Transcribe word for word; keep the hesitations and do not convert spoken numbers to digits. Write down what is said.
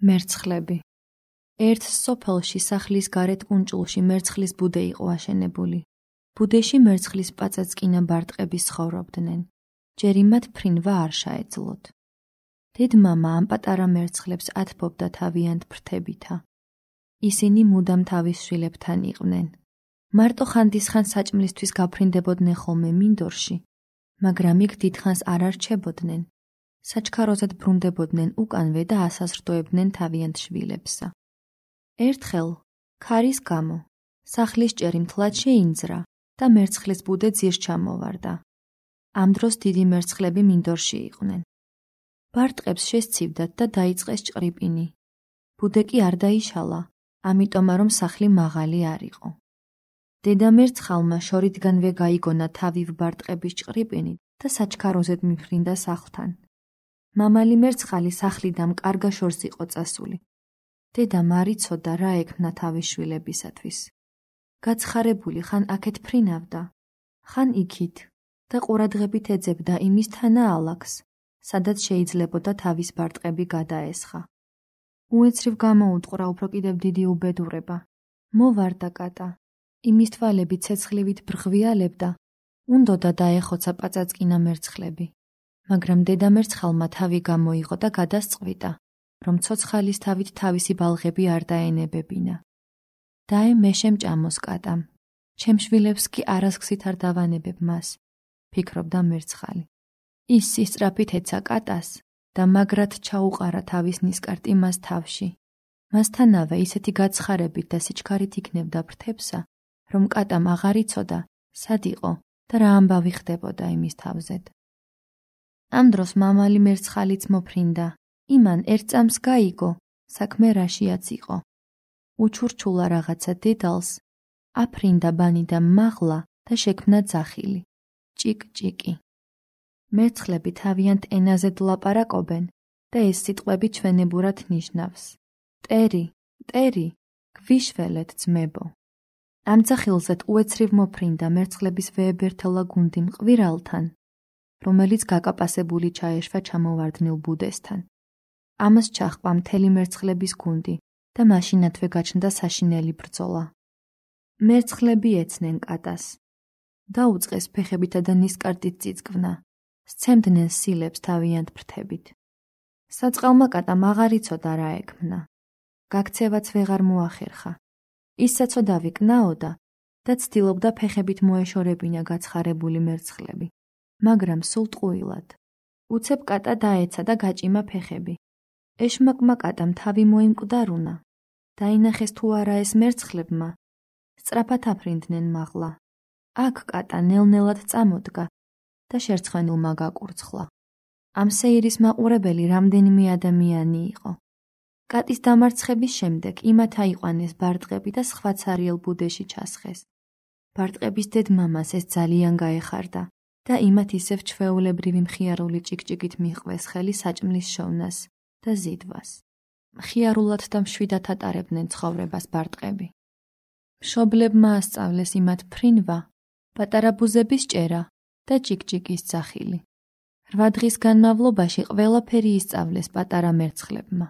მერცხლები. ერთ სოფელში სახლის გარეთ კუნჭულში მერცხლის ბუდე იყო აშენებული. ბუდეში მერცხლის პაწაწკინა ბარტყები ცხოვრობდნენ. ჯერი მათ ფრინვა არ შეეძლოთ. დედმამა ამ პატარა მერცხლებს ათბობდა თავიანთ ფრთებითა. ისინი მუდამ თავის შვილებთან იყვნენ. მარტო ხანდისხან საჭმლისთვის გაფრინდებოდნენ ხოლმე მინდორში, მაგრამ იქ დიდხანს არ არჩებოდნენ. საჩქაროზად ბრუნდებოდნენ უკანვე და ასაზრდოებდნენ თავიანთ შვილებსა. ერთხელ, ქარის გამო, სახლის ჭერი მთლად შეინძრა და მერცხლის ბუდე ძირს ჩამოვარდა. ამ დროს დიდი მერცხლები მინდორში იყვნენ. ბარტყებს შესცივდათ და დაიწყეს ჭყრიპინი. ბუდე კი არ დაიშალა, ამიტომა რომ სახლი მაღალი არ იყო. დედა მერცხალმა შორიდანვე გაიგონა თავი ბარტყების ჭყრიპინით და საჩქაროზედ მიფრინდა სახლთან. მამალი მერცხალი სახლიდან კარგა შორს იყო წასული. დედამ არ იცოდა რა ექმნა თავის შვილებისათვის. გაცხარებული ხან აქეთ ფრინავდა, ხან იქით და ყურადღებით ეძებდა იმის თანაალაქს, სადაც შეიძლებოდა თავის ბარტყები გადაესხა. უეცრივ გამოუტყვრა უფრო კიდევ დიდი უბედურება. მოვარდა კატა, იმის თვალები ცეცხლივით ბრღვიალებდა, უნდოდა დაეხოცა პაწაწკინა მერცხლები. მაგრამ დედა მერცხალმა თავი გამოიღო და გადასწყვიტა, რომ ცოცხალის თავით თავისი ბალღები არ დაენებებინა. დაე მე შემჭამოს კატამ, ჩემ შვილებს კი არასგზით არ დავანებებ მას, ფიქრობდა მერცხალი. ის სისწრაფით ეცა კატას და მაგრად ჩაუყარა თავის ნისკარტი მას თავში. მასთანავე ისეთი გაცხარებით და სიჩქარით იქნებდა ფრთებსა, რომ კატამ აღარ იცოდა, სად იყო და რა ამბავი ხდებოდა იმის თავზედ. ამ დროს მამალი მერცხალიც მოფრინდა. იმან ერთ წამს გაიგო, საქმე რაშიაც იყო. უჩურჩულა რაღაცა დედალს, აფრინდა ბანიდან მაღლა და შექმნა ძახილი. ჭიკ-ჭიკი. მერცხლები თავიანთ ენაზე დლაპარაკობენ და ეს სიტყვები ჩვენებურად ნიშნავს. ტერი, ტერი, გვიშველეთ ძმებო. ამ ძახილზეთ უეცრივ მოფრინდა მერცხლების ვეებერთელა გუნდი მყვირალთან, რომელიც გაკაპასებული ჩაეშვა ჩამოვარდნილ ბუდესთან. ამას ჩაჰყვა მთელი მერცხლების გუნდი და მაშინათვე გაჩნდა საშინელი ბრძოლა. მერცხლები ეცნენ კატას. დაუწყეს ფეხებითა და ნისკარტით წიწკვნა, სცემდნენ სილებს თავიანთ ფრთებით. საწყალმა კატამ აღარ იცოდა რა ექმნა. გაქცევაც ვეღარ მოახერხა. ის საცოდავი კნაოდა და ცდილობდა ფეხებით მოეშორებინა გაცხარებული მერცხლები, მაგრამ სულ ტყუილად. უცებ კატა დაეცა და გაჭიმა ფეხები. ეშმაკმა კატამ თავი მოიმკვდარუნა. დაინახეს თუ არა ეს მერცხლებმა. სწრაფად აფრინდნენ მაღლა. აქ კატა ნელ-ნელად წამოდგა და შერცხვენილმა გაკურცხლა. ამ სეირის მაყურებელი რამდენიმე ადამიანი იყო. კატის დამარცხების შემდეგ იმათ აიყვანეს ბარტყები და სხვა ცარიელ ბუდეში ჩასხეს. ბარტყების დედმამას ეს ძალიან გაეხარდა და იმათ ისევ ჩვეულებრივი მხიარული ჭიკჭიკით მიჰყვეს ხელი საჭმლის შოვნას და ზიდვას. მხიარულად და მშვიდად ატარებდნენ ცხოვრებას ბარტყები. მშობლებმა ასწავლეს იმათ ფრინვა, პატარა ბუზების ჭერა და ჭიკჭიკის ძახილი. რვა დღის განმავლობაში ყველაფერი ისწავლეს პატარა მერცხლებმა.